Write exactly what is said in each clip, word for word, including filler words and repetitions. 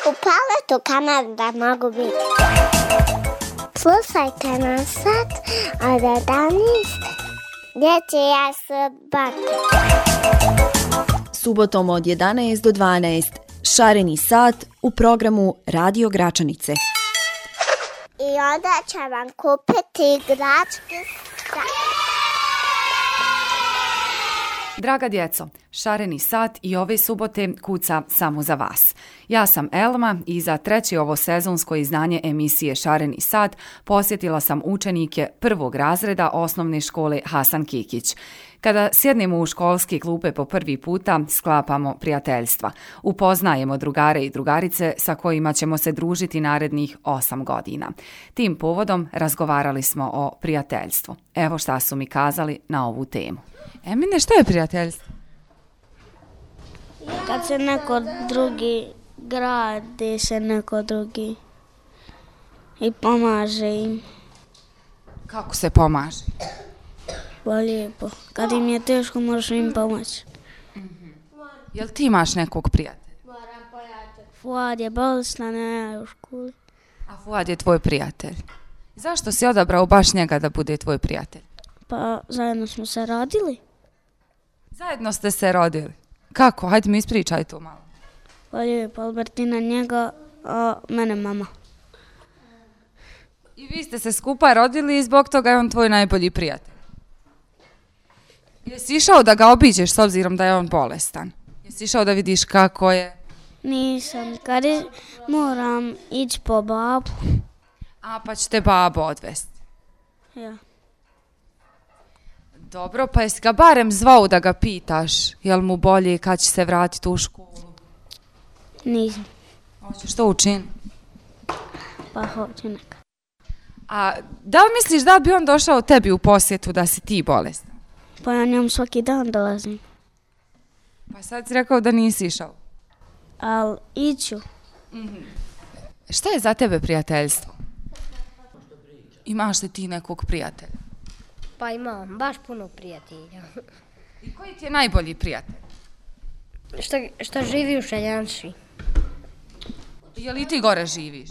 U Paletu Kanada mogu biti. Slušajte nas sad od jedanaest. Dječja subota. Subotom od jedanaest do dvanaest. Šareni sat u programu Radio Gračanice. I onda će vam kupiti igračke sat. Draga djeco, Šareni sat i ove subote kuca samo za vas. Ja sam Elma i za treće ovo sezonsko izdanje emisije Šareni sat posjetila sam učenike prvog razreda osnovne škole Hasan Kikić. Kada sjednemo u školske klupe po prvi puta, sklapamo prijateljstva. Upoznajemo drugare i drugarice sa kojima ćemo se družiti narednih osam godina. Tim povodom razgovarali smo o prijateljstvu. Evo šta su mi kazali na ovu temu. Emine, šta je prijateljstvo? Kad se neko drugi gradi, se neko drugi i pomaže im. Kako se pomaže? Pa lijepo. Kad im je teško, možeš im pomoći. Mm-hmm. Jel ti imaš nekog prijatelja? Fuad je bolestan, a ja u školi. A Fuad je tvoj prijatelj. Zašto si odabrao baš njega da bude tvoj prijatelj? Pa zajedno smo se rodili. Zajedno ste se rodili? Kako? Hajde mi ispričaj to malo. Pa lijepo, Albertina njega, a mene mama. I vi ste se skupa rodili i zbog toga je on tvoj najbolji prijatelj. Jesi išao da ga obiđeš s obzirom da je on bolestan? Jesi išao da vidiš kako je? Nisam, kad je, moram ići po babu. A pa će te babo odvesti? Ja. Dobro, pa jesi ga barem zvao da ga pitaš jel mu bolje kad će se vratiti u školu? Nisam. Hoćeš to učiniti? Pa hoću neka. A da li misliš da bi on došao tebi u posjetu da si ti bolestan? Pa ja njom svaki dan dolazim. Pa sad si rekao da nisi išao. Ali iću. Mm-hmm. Šta je za tebe prijateljstvo? Imaš li ti nekog prijatelja? Pa imam, baš puno prijatelja. I koji ti je najbolji prijatelj? Što, što živi u Šeljanši. Je li ti gore živiš?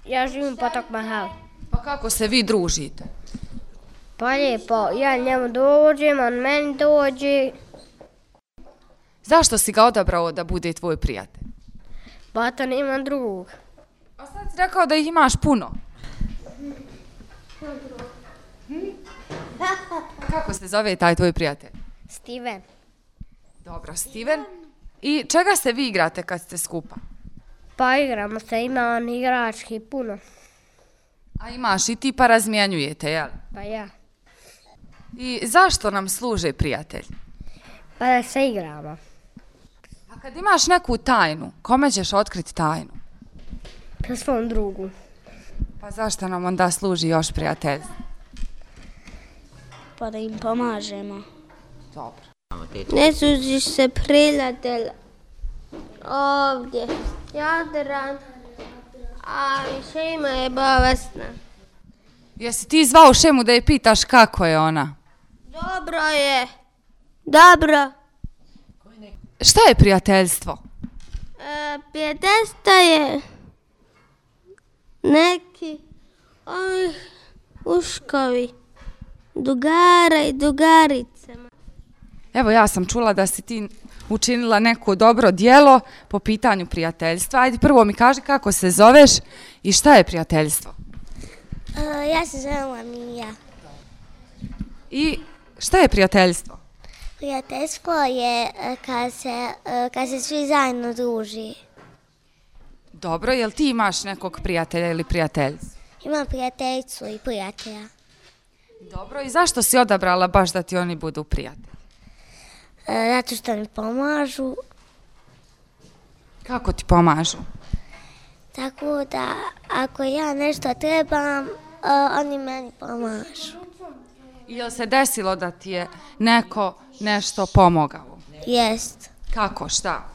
Ja živim u Potok Mahal. Pa kako se vi družite? Pa lijepo, ja njemu dođem, on meni dođe. Zašto si ga odabrao da bude tvoj prijatelj? Pa to nemam drugog. A sad si rekao da ih imaš puno. Hm? Kako se zove taj tvoj prijatelj? Steven. Dobro, Steven. I čega se vi igrate kad ste skupa? Pa igramo se, ima on igrački puno. A imaš i ti pa razmijenjujete, jel? Pa ja. I zašto nam služe prijatelj? Pa da se igramo. A kad imaš neku tajnu, kome ćeš otkriti tajnu? Pa svom drugu. Pa zašto nam onda služi još prijatelj? Pa da im pomažemo. Dobro. Ne sužiš se prijatelj ovdje. Jadran. A Šema je bolesna. Jesi ti zvao Šemu da je pitaš kako je ona? Dobro je. Dobro. Šta je prijateljstvo? E, prijateljstvo je neki ovih uškovi. Dugara i dugaricama. Evo ja sam čula da si ti učinila neko dobro djelo po pitanju prijateljstva. Ajde prvo mi kaži kako se zoveš i šta je prijateljstvo? Uh, ja se zovem Mija. I šta je prijateljstvo? Prijateljstvo je kad se, kad se svi zajedno druži. Dobro, jel ti imaš nekog prijatelja ili prijateljicu? Imam prijateljicu i prijatelja. Dobro, i zašto si odabrala baš da ti oni budu prijatelji? E, zato što mi pomažu. Kako ti pomažu? Tako da ako ja nešto trebam, uh, oni meni pomažu. I jel se desilo da ti je neko nešto pomogao? Jest. Kako, šta?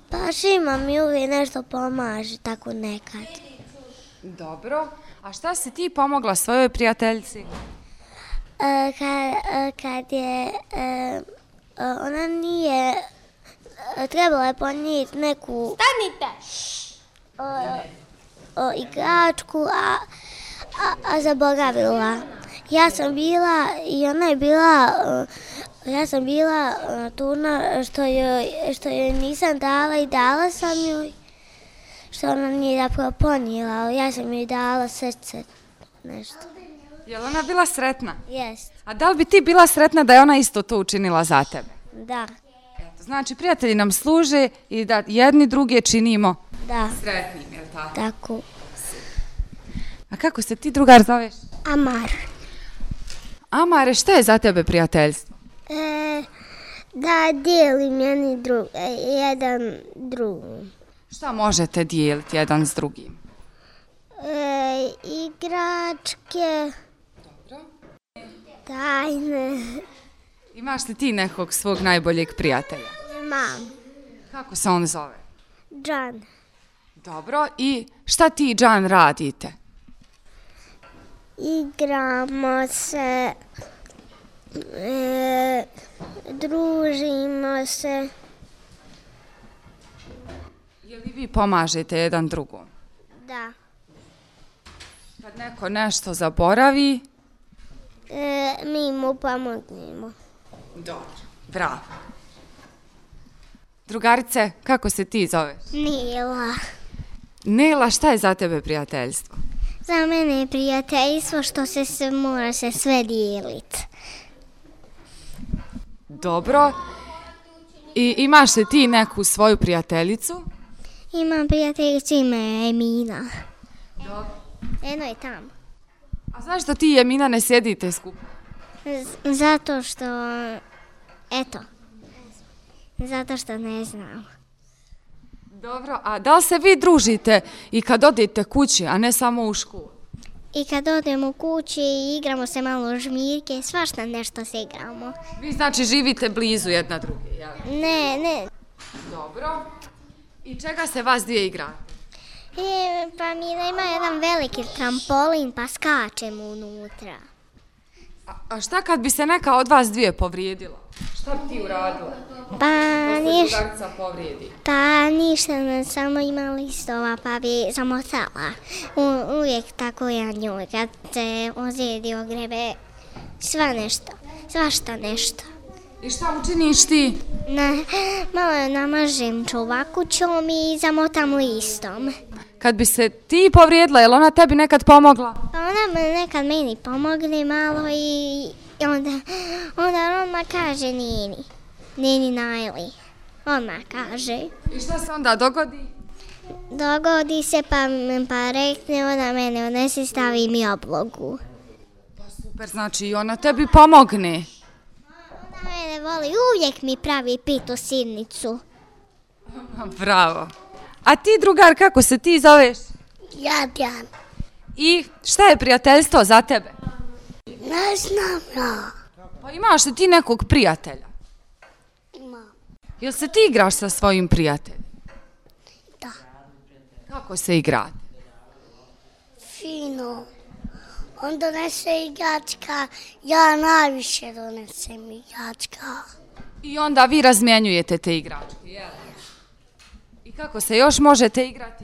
Pa Šima mi uvijek nešto pomaže, tako nekad. Dobro. A šta si ti pomogla svojoj prijateljici? E, kad, kad je, e, ona nije, trebala je ponijeti neku... Stanite! o, o igračku, a, a, a zaboravila. Ja sam bila i ona je bila, ja sam bila turna što joj, što joj nisam dala i dala sam joj, što ona nije zapravo ponijela, ali ja sam joj dala srce, nešto. Je li ona bila sretna? Jest. A da li bi ti bila sretna da je ona isto to učinila za tebe? Da. Eto, znači, prijatelji nam služe i da jedni druge činimo Da. sretnim, je li tako? Tako. A kako se ti, drugar, zoveš? Amar. Amare, šta je za tebe prijateljstvo? E, da dijelim jedni drug, jedan drugom. Šta možete dijeliti jedan s drugim? E, igračke. Dobro. Tajne. Imaš li ti nekog svog najboljeg prijatelja? Imam. Kako se on zove? Džan. Dobro, i šta ti i Džan radite? Igramo se, e, družimo se. Je li vi pomažete jedan drugom? Da. Kad neko nešto zaboravi? E, mi mu pomognemo. Dobro. Bravo. Drugarice, kako se ti zoveš? Nela. Nela, šta je za tebe prijateljstvo? Za mene je prijateljstvo što se, se mora se sve dijeliti. Dobro. I imaš li ti neku svoju prijateljicu? Imam prijateljicu, ime je Emina. Dobro. Eno je tamo. A zašto ti i Emina ne sjedite skupa? Z- zato što, eto, zato što ne znam. Dobro, a da li se vi družite i kad odete kući, a ne samo u školu? I kad odemo u kući i igramo se malo žmirke, svašta nešto se igramo. Vi znači živite blizu jedna druge, jel? Ne, ne. Dobro. I čega se vas dvije igrate? E, pa mi ima jedan veliki trampolin pa skačemo unutra. A, a šta kad bi se neka od vas dvije povrijedila? Šta bi ti uradila? Pa ništa, Drugarca povrijedi. pa ništa, ne, samo ima listova pa bi zamotala. U, uvijek tako ja njoj, kad se ozlijedi ogrebe, sva nešto, svašta nešto. I šta učiniš ti? Na, malo je namažem čuvakućom i zamotam listom. Kad bi se ti povrijedila, je li ona tebi nekad pomogla? Pa ona me nekad meni pomogne malo i, i onda, onda odmah kaže Nini, Nini Najli, odmah kaže. I šta se onda dogodi? Dogodi se pa, pa rekne, ona mene odnese, stavi mi oblogu. Pa super, znači i ona tebi pomogne. Ona mene voli, uvijek mi pravi pitu sirnicu. Bravo. A ti, drugar, kako se ti zoveš? Jadjan. I šta je prijateljstvo za tebe? Ne znam ja. Pa imaš li ti nekog prijatelja? Imam. Jel se ti igraš sa svojim prijateljem? Da. Kako se igrate? Fino. On donese igračka, ja najviše donesem igračka. I onda vi razmjenjujete te igračke, jel? I kako se još možete igrati?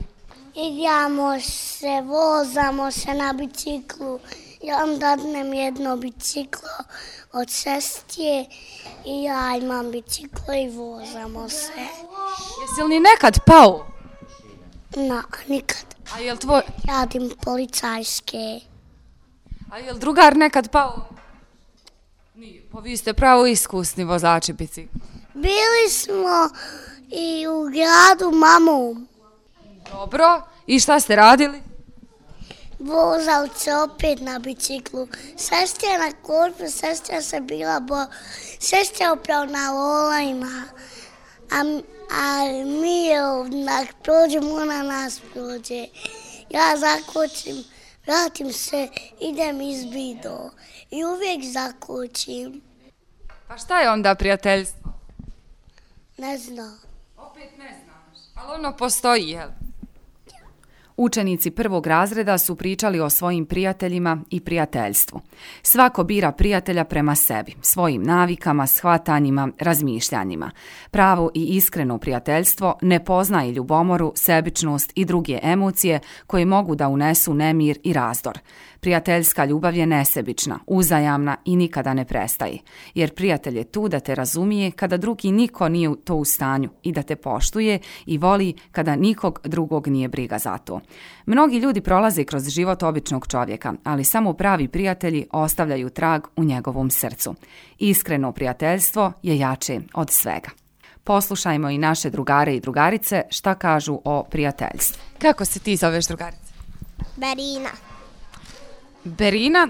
Igramo se, vozamo se na biciklu. Ja vam dadnem jedno biciklo od sestje i ja imam biciklo i vozamo se. Jesi li nekad pao? Na, nikad. A jel tvoj... Radim policajske. A jel drugar nekad pao? Nije, pa vi ste pravo iskusni vozači bicikla. Bili smo i u gradu mamom. Dobro, i šta ste radili? Vozali se opet na biciklu. Sestra na korpu, sestra se bila bo... Sestra upravo na lolajima. A, a mi je onak prođemo, ona nas prođe. Ja zakočim, vratim se, idem iz bido. I uvijek zakočim. Pa šta je onda prijateljstvo? Ne znam. Opet ne znaš, ali ono postoji, jel? Učenici prvog razreda su pričali o svojim prijateljima i prijateljstvu. Svako bira prijatelja prema sebi, svojim navikama, shvatanjima, razmišljanjima. Pravo i iskreno prijateljstvo ne poznaje ljubomoru, sebičnost i druge emocije koje mogu da unesu nemir i razdor. Prijateljska ljubav je nesebična, uzajamna i nikada ne prestaje, jer prijatelj je tu da te razumije kada drugi niko nije to u stanju i da te poštuje i voli kada nikog drugog nije briga za to. Mnogi ljudi prolaze kroz život običnog čovjeka, ali samo pravi prijatelji ostavljaju trag u njegovom srcu. Iskreno prijateljstvo je jače od svega. Poslušajmo i naše drugare i drugarice šta kažu o prijateljstvu. Kako se ti zoveš, drugarice? Berina. Berina,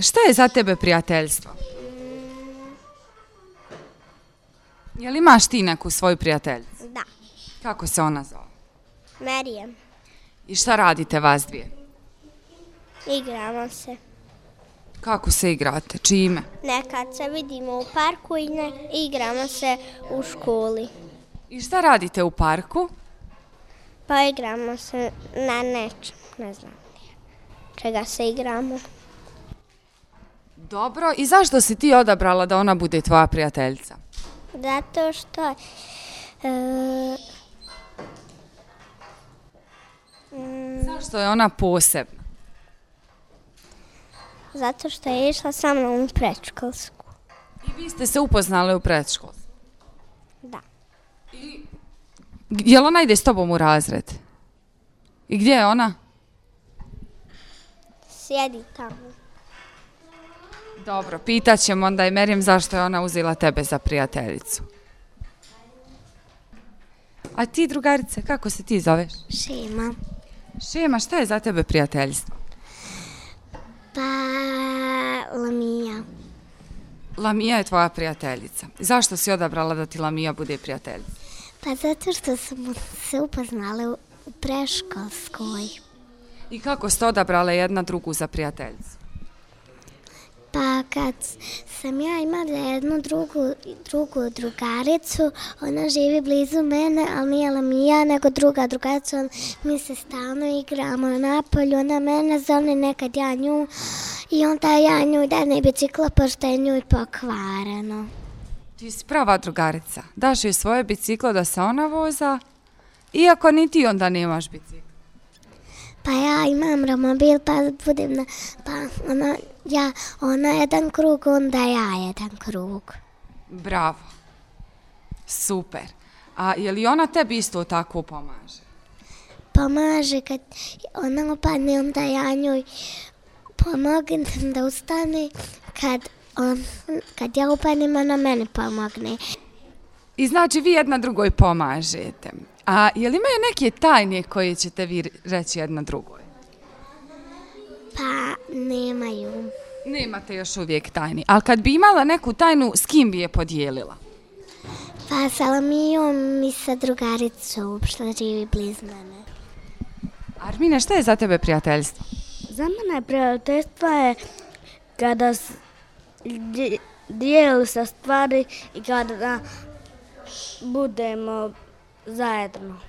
šta je za tebe prijateljstvo? Je li imaš ti neku svoju prijateljicu? Da. Kako se ona zove? Merijem. I šta radite vas dvije? Igramo se. Kako se igrate? Čime? Nekad se vidimo u parku i ne, igramo se u školi. I šta radite u parku? Pa igramo se na nečem, ne znam čega se igramo. Dobro, i zašto si ti odabrala da ona bude tvoja prijateljica? Zato što e, mm, Zašto je ona posebna? zato što je išla sa mnom u predškolsku. I vi ste se upoznali u predškolstvu? Da. Je li ona ide s tobom u razred? I gdje je ona? Sjedi tamo. Dobro, pitat ćemo onda i Merijem zašto je ona uzela tebe za prijateljicu. A ti, drugarice, kako se ti zoveš? Šima. Šema, šta je za tebe prijateljstvo? Pa Lamija. Lamija je tvoja prijateljica. Zašto si odabrala da ti Lamija bude prijateljica? Pa zato što smo se upoznali u preškolskoj. I kako ste odabrale jedna drugu za prijateljicu? Pa kad sam ja imala jednu drugu, drugu drugaricu, ona živi blizu mene, ali nije Lamija, nego druga drugarica, mi se stalno igramo na polju, ona mene zove, nekad ja nju, i onda ja nju dajem bicikla, pošto je nju pokvareno. Ti si prava drugarica. Daš joj svoje biciklo da se ona voza, iako ni ti onda nemaš biciklo. Pa ja imam romobil, pa budem na, pa ona, ja, ona jedan krug, onda ja jedan krug. Bravo. Super. A je li ona tebi isto tako pomaže? Pomaže kad ona opadne, onda ja njoj pomognem da ustane, kad, on, kad ja upadnem, ona mene pomogne. I znači vi jedna drugoj pomažete. A je li imaju neke tajne koje ćete vi reći jedna drugoj? Pa nemaju. Nemate još uvijek tajni. Ali kad bi imala neku tajnu, s kim bi je podijelila? Pa sa Lamijom i sa drugaricom, što živi blizu mene. Armine, šta je za tebe prijateljstvo? Za mene prijateljstvo je kada dijeli se stvari i kada budemo zajedno.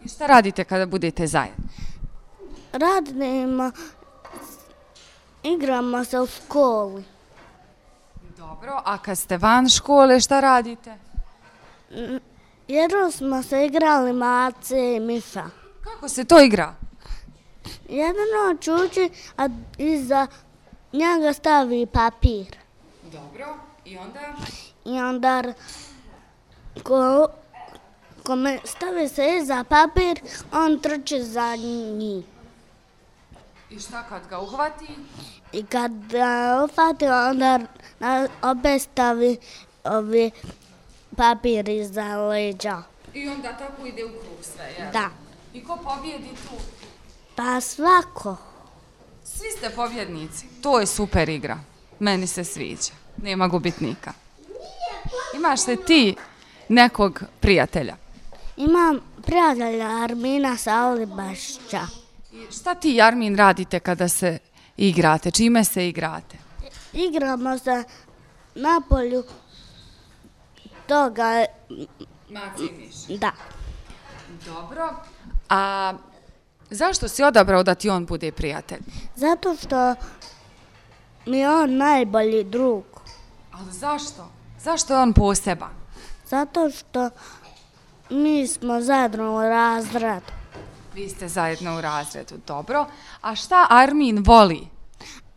I šta radite kada budete zajedno? Radimo, igramo se u školi. Dobro, a kad ste van škole, šta radite? Jednom smo se igrali mace i miša. Kako se to igra? Jedan čuči, a iza njega stavi papir. Dobro, i onda? I onda ko, kome stavi se iza papir, on trči za njih. I šta kad ga uhvati? I kad ga uhvati, onda opet stavi ovi papir iza leđa. I onda tako ide u krug sve, jel? Da. I ko pobjedi tu? Pa svako. Svi ste pobjednici. To je super igra. Meni se sviđa. Nema gubitnika. Imaš li ti nekog prijatelja? Imam prijatelja Armina Salibašća. I šta ti, Armin, radite kada se igrate? Čime se igrate? Igramo se na polju toga. Maci miš. Da. Dobro. A Zašto si odabrao da ti on bude prijatelj? Zato što mi je on najbolji drug. Ali zašto? Zašto je on poseban? Zato što mi smo zajedno u razredu. Vi ste zajedno u razredu, dobro. A šta Armin voli?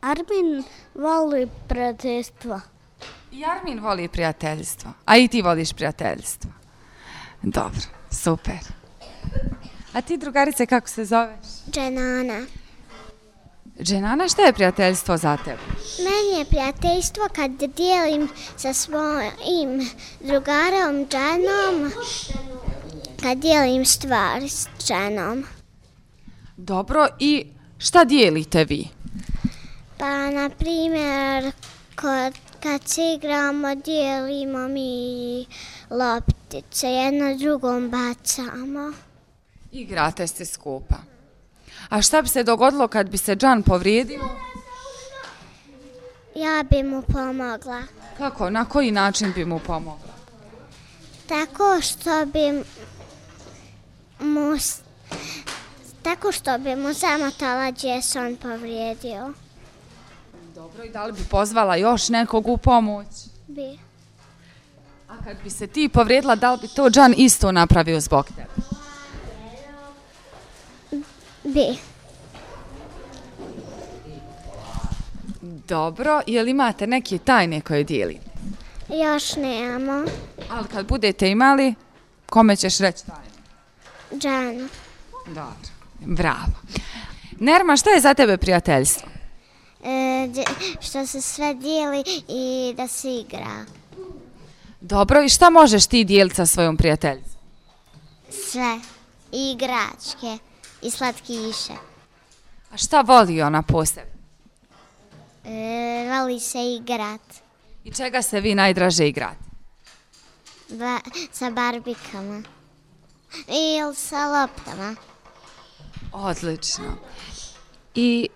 Armin voli prijateljstva. I Armin voli prijateljstvo. A i ti voliš prijateljstvo. Dobro, super. A ti, drugarice, kako se zoveš? Dženana. Dženana, šta je prijateljstvo za tebe? Meni je prijateljstvo kad dijelim sa svojim drugarom Dženom, kad dijelim stvari s Dženom. Dobro, i šta dijelite vi? Pa, na primjer, kod, kad se igramo, dijelimo mi loptice, jedno drugom bacamo. Igrate se skupa. A šta bi se dogodilo kad bi se Džan povrijedio? Ja bi mu pomogla. Kako? Na koji način bi mu pomogla? Tako što bi mu, tako što bi mu zamotala gdje se on povrijedio. Dobro, i da li bi pozvala još nekog u pomoć? Bi. A kad bi se ti povrijedila, da li bi to Džan isto napravio zbog tebe? Bi. Dobro, jel imate neke tajne koje dijelite? Još nemamo. Ali kad budete imali, kome ćeš reći tajne? Džanu. Dobro, bravo. Nerma, šta je za tebe prijateljstvo? E, što se sve dijeli i da se igra. Dobro, i šta možeš ti dijeliti sa svojom prijateljicom? Sve. I igračke. I slatkiše. A šta voli ona posebno? E, voli se igrat. I čega se vi najdraže igrate? Ba, sa barbikama. Ili sa loptama. Odlično. I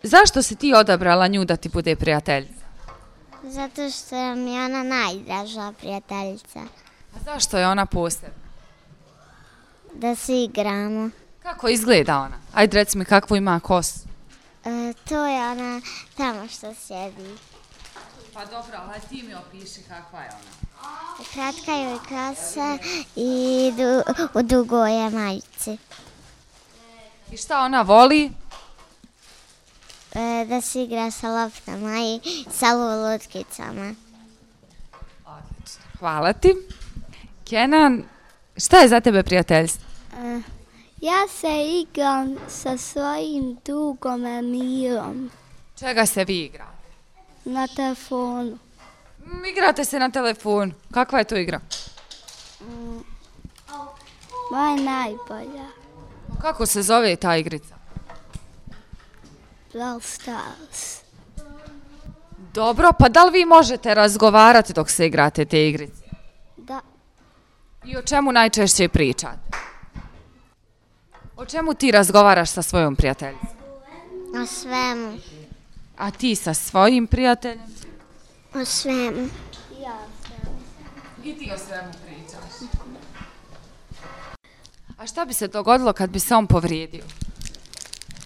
zašto si ti odabrala nju da ti bude prijateljica? Zato što mi je ona najdraža prijateljica. A zašto je ona posebna? Da se igramo. Kako izgleda ona? Ajde, reci mi kakvu ima kosu. E, to je ona tamo što sjedi. Pa dobro, ali ti mi opiši kakva je ona. Kratka joj kosa i du, u dugoj je majici. I šta ona voli? E, da se igra sa loptama i sa lutkicama. Odlično. Hvala ti. Kenan, šta je za tebe prijateljstvo? E, ja se igram sa svojim drugom Emirom Čega se vi igrate? na telefonu. Mm, igrate se na telefonu. Kakva je to igra? Mm, moja je najbolja. Kako se zove ta igrica? Brawl Stars. Dobro, pa da li vi možete razgovarati dok se igrate te igrice? Da. I o čemu najčešće pričate? O čemu ti razgovaraš sa svojom prijateljicom? O svemu. A ti sa svojim prijateljem? O svemu. I ti o svemu pričaš. A šta bi se dogodilo kad bi se on povrijedio?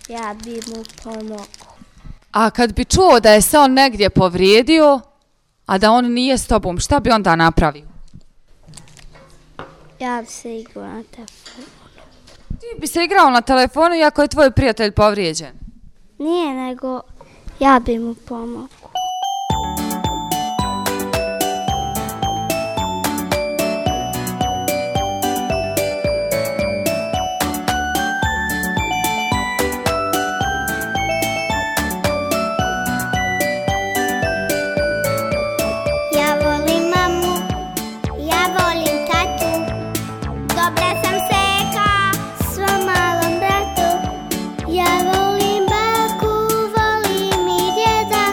Ja bi mu pomogao. A kad bi čuo da je se on negdje povrijedio, a da on nije s tobom, šta bi onda napravio? Ja bi se igrao na telefonu. Ti bi se igrao na telefonu iako je tvoj prijatelj povrijeđen. Nije, nego ja bi mu pomogao. Ja volim mamu, ja volim tatu, dobra sam seka svom malom bratu. Ja volim baku, volim i djeda,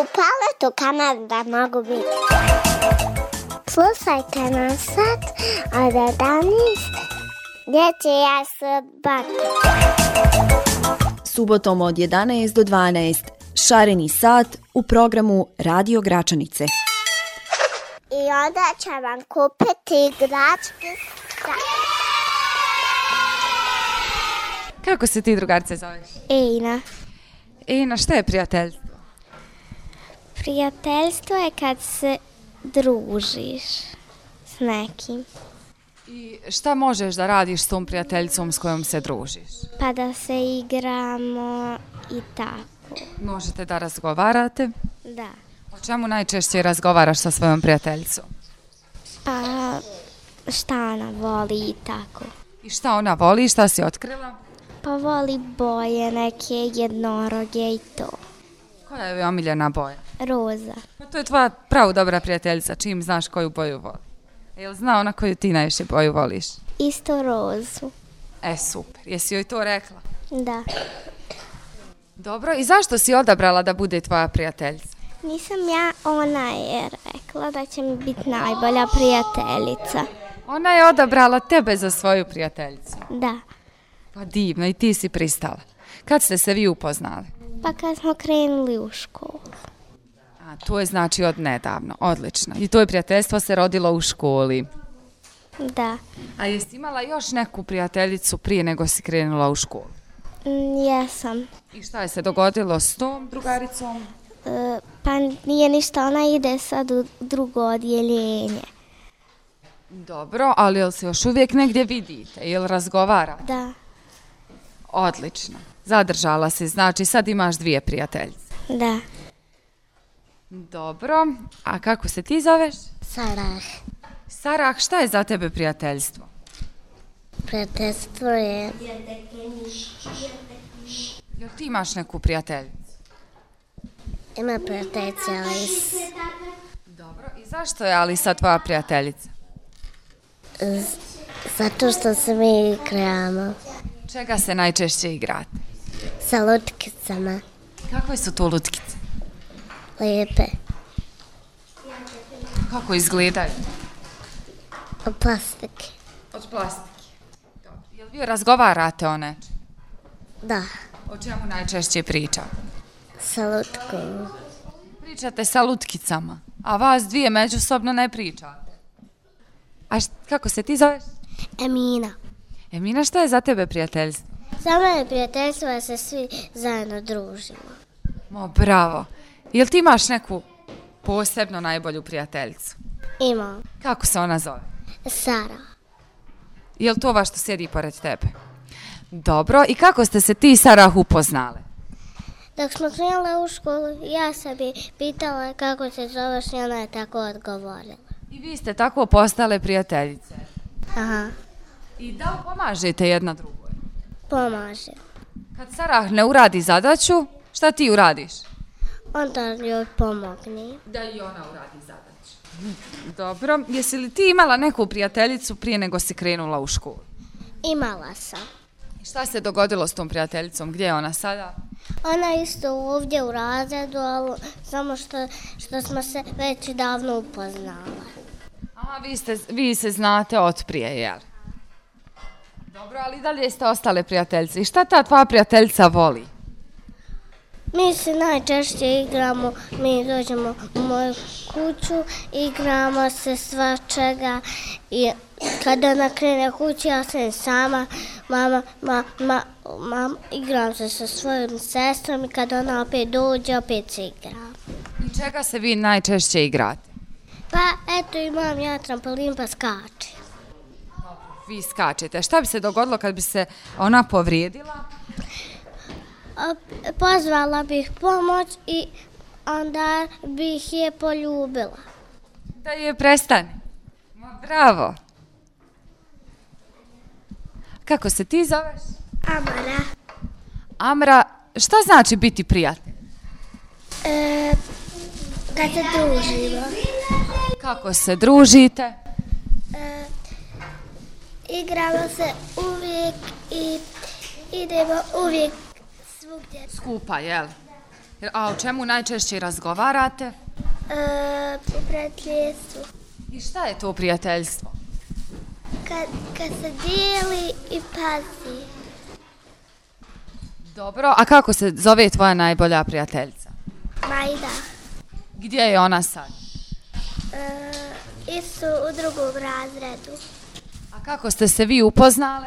U Paletu Kanada mogu biti. Slušajte nas sad od jedanaest dječja subota. Subotom od jedanaest do dvanaest Šareni sat u programu Radio Gračanice. I onda će vam kupiti igračke. Kako se ti, drugarice, zoveš? Ina. Ina, šta je prijateljstvo? Prijateljstvo je kad se družiš s nekim. I šta možeš da radiš s tom prijateljicom s kojom se družiš? Pa da se igramo i tako. Možete da razgovarate? Da. O čemu najčešće razgovaraš sa svojom prijateljicom? Pa šta ona voli i tako. I šta ona voli i šta si otkrila? Pa voli boje, neke jednoroge i to. Koja je omiljena boja? Roza. Pa to je tvoja pravo dobra prijateljica, čim znaš koju boju voli. Jel zna ona koju ti najviše boju voliš? Isto rozu. E, super. Jesi joj to rekla? Da. Dobro, i zašto si odabrala da bude tvoja prijateljica? Nisam ja, ona je rekla da će mi biti najbolja prijateljica. Ona je odabrala tebe za svoju prijateljicu. Da. Pa divno, i ti si pristala. Kad ste se vi upoznali? Pa kad smo krenuli u školu. A, to je znači od nedavno, odlično. I to je prijateljstvo se rodilo u školi. Da. A jesi imala još neku prijateljicu prije nego si krenula u školu? Mm, jesam. I šta je se dogodilo s tom drugaricom? E, pa nije ništa, ona ide sad u drugo odjeljenje. Dobro, ali jel se još uvijek negdje vidite? Jel razgovarate? Da. Odlično. Zadržala si, znači sad imaš dvije prijateljice. Da. Dobro, a kako se ti zoveš? Sarah. Sarah, šta je za tebe prijateljstvo? Prijateljstvo je... Jel ti imaš neku prijateljicu? Ima prijateljica Alis. Dobro, i zašto je Alisa tvoja prijateljica? Z- Zato što se mi igramo Čega se najčešće igrate? sa lutkicama. Kakve su to lutkice? Lijepe. Kako izgledaju? Od plastike. Od plastike. Dobro. Jel vi razgovarate o nečem? Da. O čemu najčešće pričate? Sa lutkom. Pričate sa lutkicama, a vas dvije međusobno ne pričate. A št- kako se ti zoveš? Emina. Emina, šta je za tebe prijateljstvo? Za mene prijateljstvo je se svi zajedno družimo. Mo, bravo. Jel ti imaš neku posebno najbolju prijateljicu? Imam. Kako se ona zove? Sara. Jel to ova što sjedi pored tebe? Dobro, i kako ste se ti i Sarah upoznale? Dok smo krenule u školu, ja sam bi pitala kako se zoveš i ona je tako odgovorila. I vi ste tako postale prijateljice. Aha, I da li pomažete jedna drugoj? pomaže. Kad Sarah ne uradi zadaću, šta ti uradiš? Onda joj pomogni. Da i ona uradi zadaću. Dobro, jesi li ti imala neku prijateljicu prije nego si krenula u školu? Imala sam. I šta se dogodilo s tom prijateljicom? Gdje je ona sada? Ona je isto ovdje u razredu, ali samo što, što smo se već davno upoznala. A, vi, ste, vi se znate od prije, jel? Dobro, ali dalje ste ostale prijateljice. I šta ta tvoja prijateljica voli? Mi se najčešće igramo, mi dođemo u moju kuću, igramo se svačega i kada ona krene kući, ja sam sama, mama, ma, ma, ma, igram se sa svojom sestrom i kada ona opet dođe, opet se igram. I čega se vi najčešće igrate? Pa eto imam ja trampolin pa skačem. Vi skačete. Šta bi se dogodilo kad bi se ona povrijedila? A, Pozvala bih pomoć i onda bih je poljubila. Da je prestane. Ma, bravo. Kako se ti zoveš? Amara. Amra, šta znači biti prijatelj? E, kad se družimo. Kako se družite? E, igramo se uvijek i idemo uvijek svugdje. Skupa, jel? A o čemu najčešće razgovarate? E, po prijateljstvu. I šta je to prijateljstvo? Kad, kad se dijeli i pazi. Dobro, a kako se zove tvoja najbolja prijateljica? Majda. Gdje je ona sad? E, isto u drugom razredu. A kako ste se vi upoznale?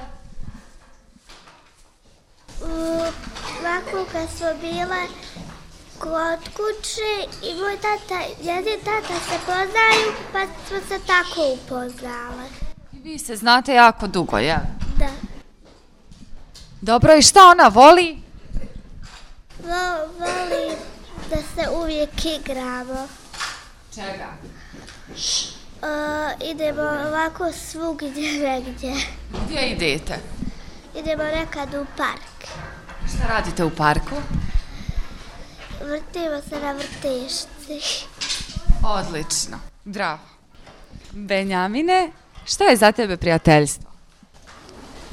Ovako kad smo bile kod kuće i moj tata, jedin tata se poznaju, pa smo se tako upoznale. I vi se znate jako dugo, jel? Da. Dobro, i šta ona voli? Vo, voli da se uvijek igramo. Čega? Uh, idemo ovako svugdje negdje. Gdje idete? Idemo nekad u park. Šta radite u parku? Vrtimo se na vrtešci. Odlično, bravo. Benjamine, šta je za tebe prijateljstvo?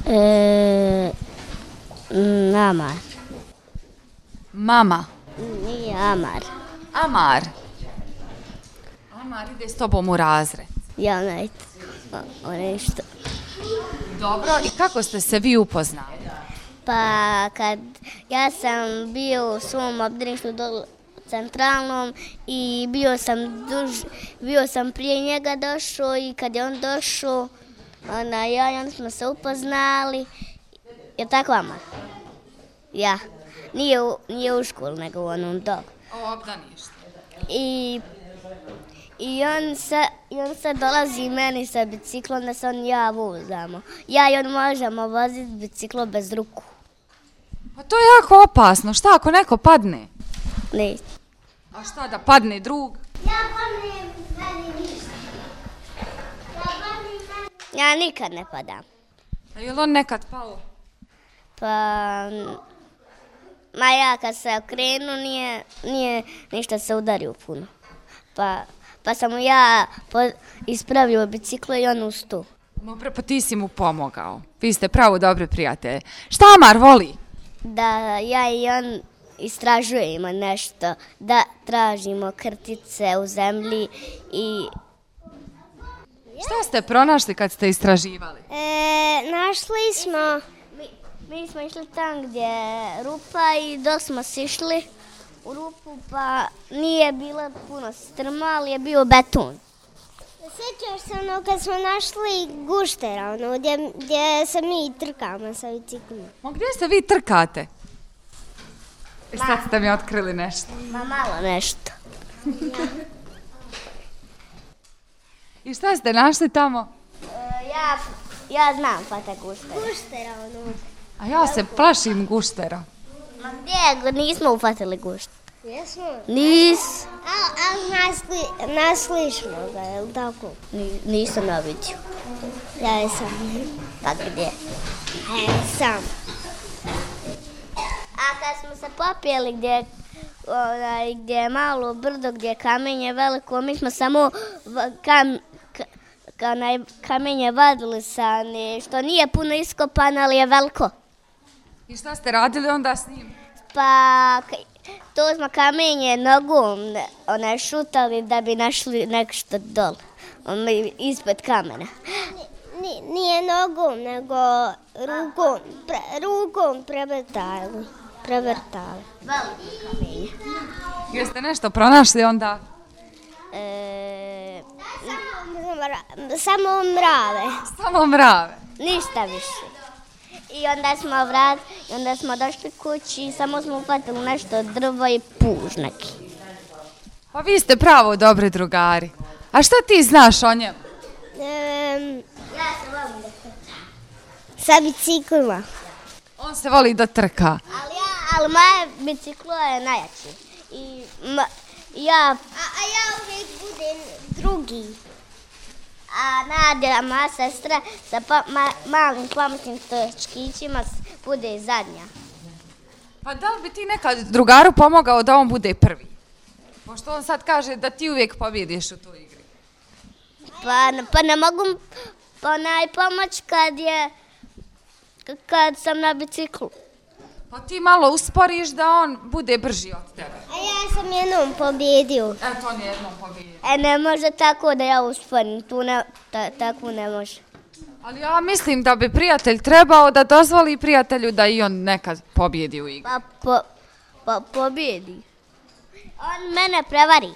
E, Amar. Mama. Nije Amar. Amar. Amar ide s tobom u razred. Ja najt. O nešto. Dobro, i kako ste se vi upoznali? Pa kad ja sam bio u svom obdaništu dole centralnom i bio sam duž, bio sam prije njega došao i kad je on došao, ona ja i onda smo se upoznali. Je tako, Amar? Ja. Nije u, nije u školu, nego u onom dolu. O obdaništu. I, i, on se, I on se dolazi meni sa biciklom da se on i ja vozamo. Ja i on možemo voziti biciklo bez ruku. Pa to je jako opasno. Šta ako neko padne? Ne. A šta da padne drug? Ja padnem, meni ništa. Ja padnem, meni... Ja nikad ne padam. A je li on nekad pao? Pa, ma ja kad se okrenu nije, nije ništa se udario puno. Pa, pa sam mu ja po, ispravio biciklo i on ustao. No, pa ti si mu pomogao. Vi ste pravo dobri prijatelji. Šta Amar voli? Da ja i on istražujemo nešto, da tražimo krtice u zemlji i... Šta ste pronašli kad ste istraživali? E, našli smo... Mi, mi smo išli tam gdje je rupa i dok smo sišli u rupu pa nije bilo puno strma, ali je bio beton. Sjećaš se ono kad smo našli guštera, ono gdje, gdje se mi trkamo sa biciklima. Ma gdje se vi trkate? I sad ste mi otkrili nešto. Ma malo nešto. I šta ste našli tamo? E, ja, ja znam fata guštera. Guštera, ono. A ja se plašim guštera. Ma gdje? Nismo ufatili gušter. Jesmo? Nis. Ali al našli, našli smo ga, je li tako? Ni, nisam na vidio. Ja jesam. Pa gdje? Ja jesam. A kad smo se popijeli gdje, onaj, gdje je malo brdo, gdje je kamenje veliko, mi smo samo v, kam, ka, ka, onaj, kamenje vadili sa ne, što nije puno iskopano, ali je veliko. I šta ste radili onda s njim? Pa to smo kamenje nogom onaj, šutali da bi našli nešto dole, ispod kamena. Nije, nije nogom, nego rukom, pre, rukom prevrtali. Prevrtali. Veliko kamenje. Jeste nešto pronašli onda? E, Samo, samo mrave. Samo mrave. ništa više. I onda smo vrat, i onda smo došli kući i samo smo upatili nešto drvo i puž neki. Pa vi ste pravo dobri drugari. A šta ti znaš o njemu? Um, Ja se volim da trčam. sa biciklima. On se voli da trka. Ali, ja, ali moje biciklo je najjači. I ma, ja, A, a ja uvijek budem drugi. a Nadja, moja sestra, sa pa, ma, malim pametnim točkićima bude zadnja. Pa da li bi ti nekad drugaru pomogao da on bude prvi? Pošto on sad kaže da ti uvijek pobjediš u toj igri. Pa, pa ne mogu pa najpomoć kad je, kad sam na biciklu. Pa ti malo usporiš da on bude brži od tebe. A ja sam jednom pobjedio. Eto, on je jednom pobjedio. E, ne može tako da ja usporim, tu ne, ta, tako ne može. Ali ja mislim da bi prijatelj trebao da dozvoli prijatelju da i on nekad pobjedi u igri. Pa, po, pa pobjedi. On mene prevari.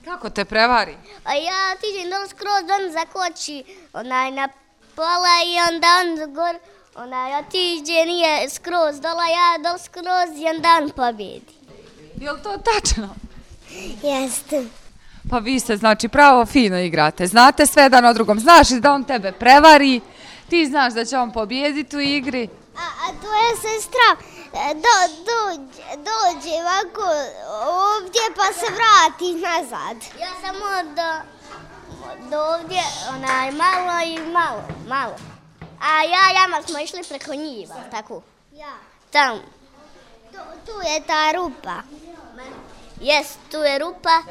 Kako te prevari? A ja tiđem dol skroz, on zakoči onaj na pola i onda on gor, onaj otiđe, nije skroz dola, ja dol skroz i onda on pobjedi. Je li to tačno? Jeste. Pa vi se znači pravo fino igrate. Znate sve jedan o drugom. Znaš da on tebe prevari, ti znaš da će on pobjediti u igri. A, a tvoja sestra do, dođe, dođe ovako ovdje pa se vrati nazad. Ja samo do, do ovdje, onaj malo i malo, malo. A ja i Jama smo išli preko njiva, tako? Ja. Tam. Tu, tu je ta rupa. Jes, tu je rupa.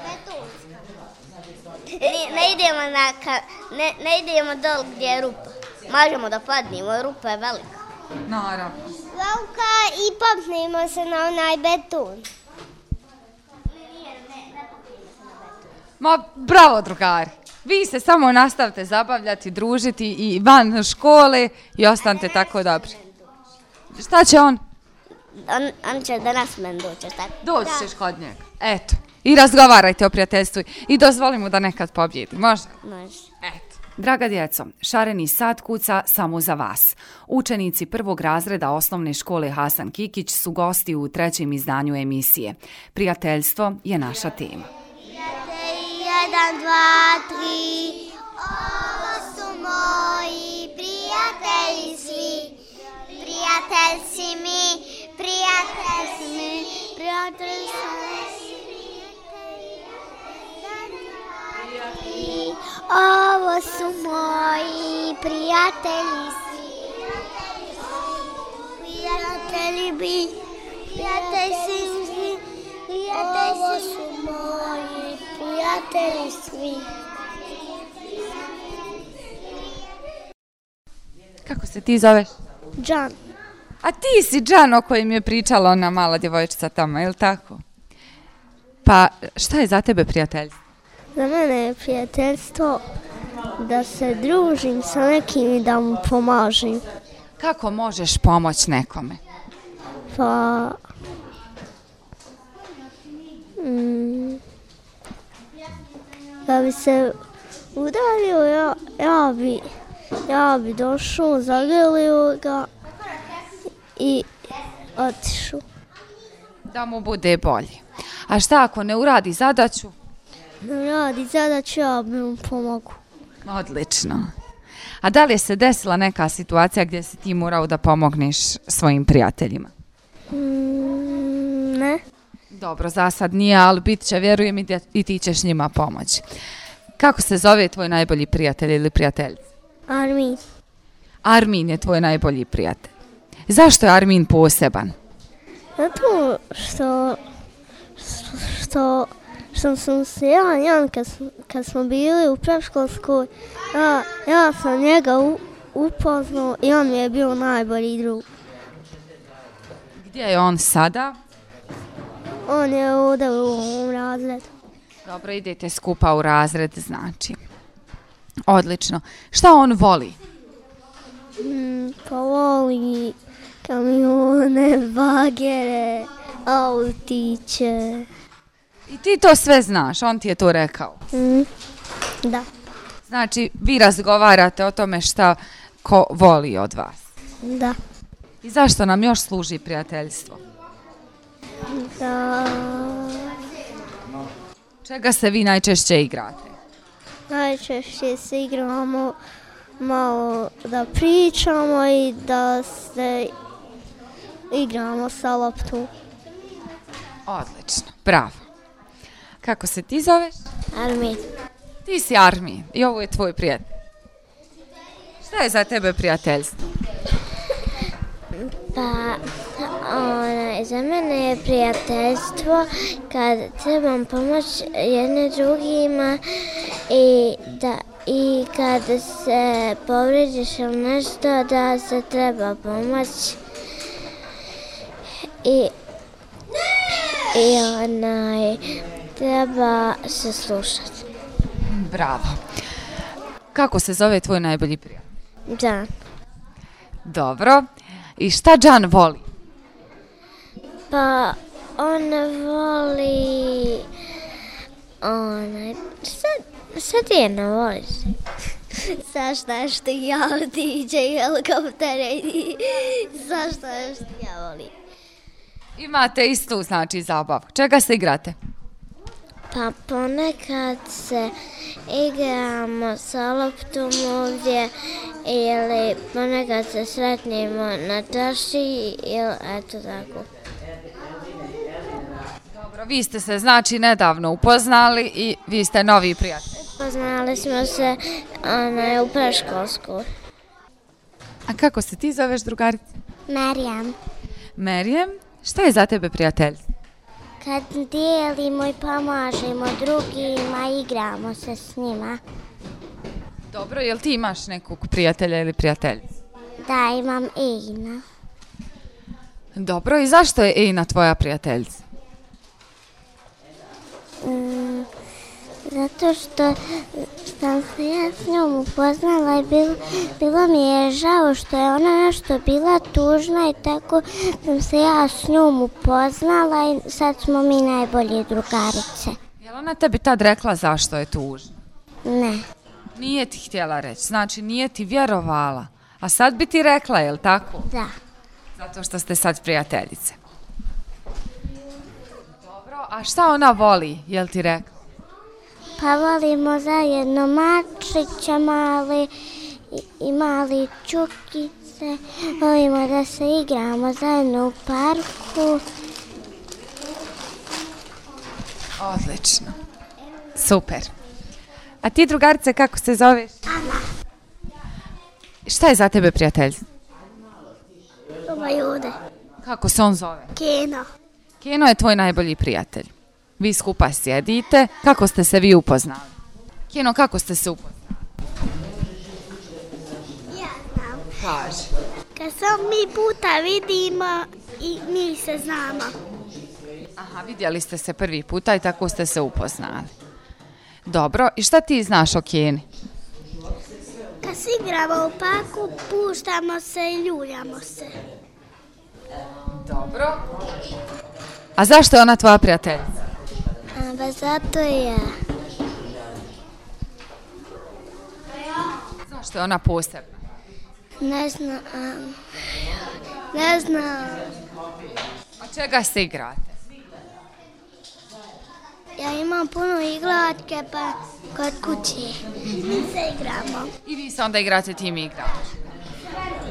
Ne, ne idemo na, ka, ne, ne idemo dol gdje je rupa. Možemo da padnemo, rupa je velika. Naravno. Velika i popnemo se na onaj beton. Ma bravo drugari. Vi se samo nastavite zabavljati, družiti i van škole i ostanite tako dobri. Šta će on? On, on će danas men doći, tako? Doći ćeš kod njega. Eto. I razgovarajte o prijateljstvu i dozvoli mu da nekad pobjedi. Može? Može. Eto. Draga djeco, šareni sat kuca samo za vas. Učenici prvog razreda osnovne škole Hasan Kikić su gosti u trećem izdanju emisije. Prijateljstvo je naša tema. Jedan, dva, tri, ovo su moji prijatelji svi. Prijatelj si mi, prijatelj si mi, prijatelj si mi. Ovo su moji prijatelji svi. Prijatelji bi, prijatelj si mi, prijatelj si moji prijatelji svi. Kako se ti zoveš? Džan. A ti si Džan o kojem je pričala ona mala djevojčica tamo, je li tako? Pa šta je za tebe prijateljstvo? Za mene je prijateljstvo da se družim sa nekim i da mu pomažem. Kako možeš pomoći nekome? Pa... Mm, da bi se udario, ja, ja bi, ja bi došao, zagrlio ga i otišao. Da mu bude bolje. A šta ako ne uradi zadaću? Ne radi zadaću, ja bi mu pomogu. Odlično. A da li je se desila neka situacija gdje si ti morao da pomogneš svojim prijateljima? Mm, ne. Dobro, za sad nije, ali bit će, vjerujem, i, da, i ti ćeš njima pomoći. Kako se zove tvoj najbolji prijatelj ili prijateljica? Armin. Armin je tvoj najbolji prijatelj. Zašto je Armin poseban? Zato što, što, što sam se ja, Jan, kad, kad smo bili u predškolskoj, ja, ja sam njega u, upoznao i on mi je bio najbolji drug. Gdje je on sada? On je ovdje u ovom razredu. Dobro, idete skupa u razred, znači. Odlično. Šta on voli? Mm, pa voli kamione, bagere, autiće. I ti to sve znaš, on ti je to rekao. Mm, da. Znači, vi razgovarate o tome šta ko voli od vas. Da. I zašto nam još služi prijateljstvo? Da. Čega se vi najčešće igrate? Najčešće se igramo malo da pričamo i da se igramo sa loptom. Odlično, bravo. Kako se ti zoveš? Armin. Ti si Armin i ovo je tvoj prijatelj. Šta je za tebe prijateljstvo? Pa, onaj, za mene je prijateljstvo kad trebam pomoći jedne drugima i, da, i kad se povrijeđiš ili nešto da se treba pomoći i, i onaj, treba se slušati. Bravo. Kako se zove tvoj najbolji prijatelj? Da. Dobro. I šta Džan voli? Pa on voli onaj, šta, šta ti ne voliš? Zašto što ja D J helikoptere i zašto što ja volim. Imate istu, znači, zabavu. Čega se igrate? Pa ponekad se igramo sa loptom ovdje ili ponekad se sretnemo na čaši ili eto tako. Dobro, vi ste se znači nedavno upoznali i vi ste novi prijatelji. Poznali smo se onaj, u preškolskoj. A kako se ti zoveš, drugarice? Marijam. Merijem, šta je za tebe prijateljstvo? Kad dijelimo i pomažemo drugima, igramo se s njima. Dobro, jel ti imaš nekog prijatelja ili prijateljicu? Da, imam Ejna. Dobro, i zašto je Ejna tvoja prijateljica? Mm, zato što sam se ja s njom upoznala i bilo, bilo mi je žao što je ona nešto bila tužna i tako sam se ja s njom upoznala i sad smo mi najbolje drugarice. Jel ona tebi tad rekla zašto je tužna? Ne. Nije ti htjela reći, znači nije ti vjerovala. A sad bi ti rekla, jel tako? Da. Zato što ste sad prijateljice. Dobro, a šta ona voli, jel ti rekla? Pa volimo zajedno mačića mali i, i mali čukice. Volimo da se igramo zajedno u parku. Odlično. Super. A ti, drugarice, kako se zoveš? Ana. Šta je za tebe prijateljstvo? Ova jude. Kako se on zove? Keno. Keno je tvoj najbolji prijatelj. Vi skupa sjedite. Kako ste se vi upoznali? Keno, kako ste se upoznali? Ja znam. Kaži. Kad se mi puta vidimo i mi se znamo. Aha, vidjeli ste se prvi puta i tako ste se upoznali. Dobro, i šta ti znaš o Keni? Kad se igramo u parku, puštamo se i ljuljamo se. Dobro. A zašto je ona tvoja prijateljica? A, ba zato je. Zašto je ona posebna? Ne znam. Ne znam. A čega se igrate? Ja imam puno igratke pa kod kuće. Mi se igramo. I vi se onda igrate tim igrama?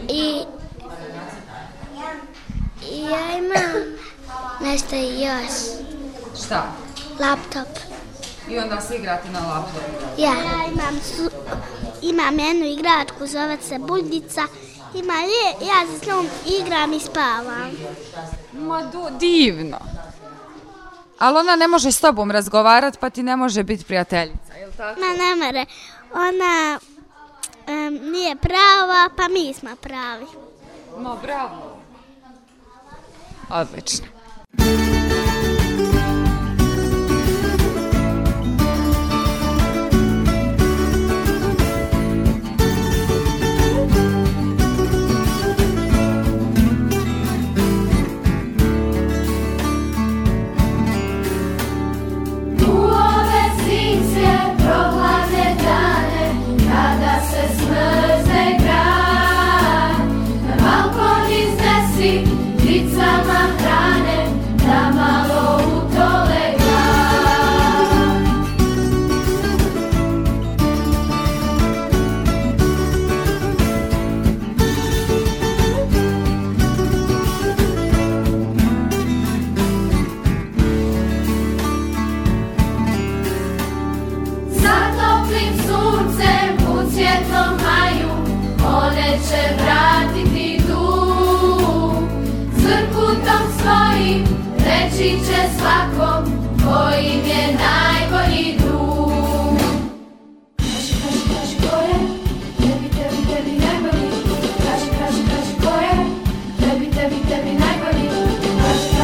I, I ja imam nešto još. Šta? Laptop. I onda se igrate na laptopu? Ja. Ja imam, su, imam jednu igratku, zove se Buljica. Ima lije, ja se s njom igram i spavam. Ma do, divno. Ali ona ne može s tobom razgovarati pa ti ne može biti prijateljica, je li tako? Ma ne mere, ona um, nije prava, pa mi smo pravi. Ma bravo. Odlično. Tebi, tebi, najbolji, kaži,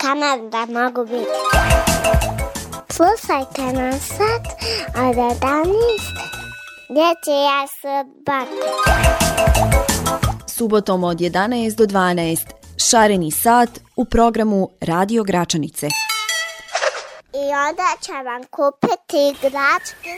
kanal da mogu biti. Slušajte nas sad od jedanaest dječja subota. Subotom od jedanaest do dvanaest Šareni sat u programu Radio Gračanice. I onda će vam kupiti igračke.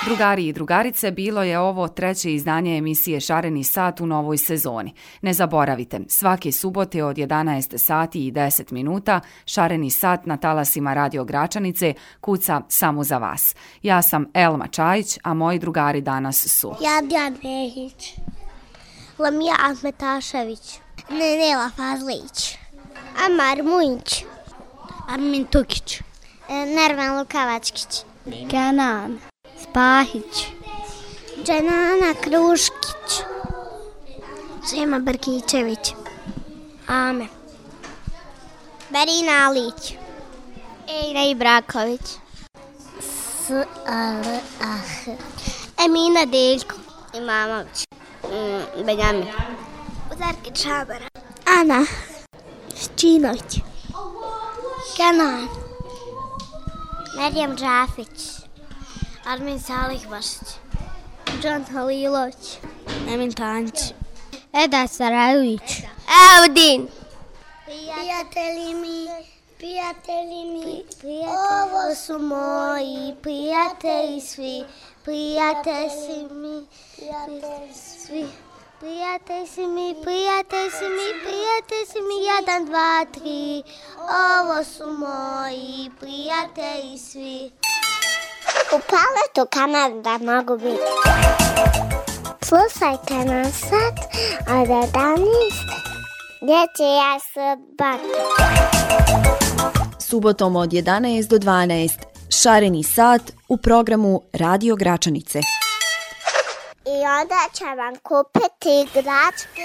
Drugari i drugarice, bilo je ovo treće izdanje emisije Šareni sat u novoj sezoni. Ne zaboravite, svake subote od jedanaest sati i deset minuta Šareni sat na talasima Radio Gračanice kuca samo za vas. Ja sam Elma Čajić, a moji drugari danas su Jadjan Nehić, Lamija Ahmetašević, Nenela Fazlić, Amar Mujić, Armin Tukić, Nervan Lukavačkić, Kenan Spahić, Dženana Kruškić, Sema Brkićević, Ame, Berina Alić, Ejra Ibraković, S A L A H, Emina Deljko, Imamović, mm, Benjamin, Uzarki Čabara, Ana Ščinović, Kenan, Merjem Džafić, Armin Salih Bašić, Džan Halilović, Emin Tanjić, Eda Sarajević, Audin, prijatelji mi, prijatelji mi, ovo su moji prijatelji svi, prijatelji si mi, prijatelji svi. Prijatelj si mi, prijatelj si mi, prijatelj si mi, jedan, dva, tri, ovo su moji prijatelji svi. U paletu kanal da mogu biti. Slušajte nas sad od jedanaest dječja subota. Subotom od jedanaest do dvanaest Šareni sat u programu Radio Gračanice. I onda će vam kupiti igračke.